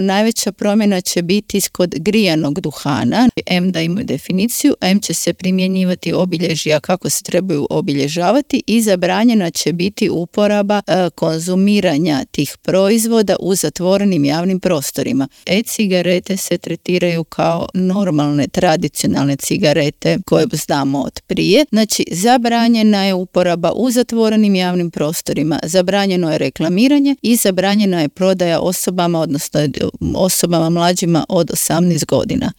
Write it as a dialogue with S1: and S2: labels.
S1: Najveća promjena će biti kod grijanog duhana. M da imaju definiciju, M će se primjenjivati obilježja kako se trebaju obilježavati i zabranjena će biti uporaba konzumiranja tih proizvoda u zatvorenim javnim prostorima. E-cigarete se tretiraju kao normalne, tradicionalne cigarete koje znamo od prije. Znači, zabranjena je uporaba u zatvorenim javnim prostorima, zabranjeno je reklamiranje i zabranjena je prodaja osobama, odnosno osobama mlađima od 18 godina.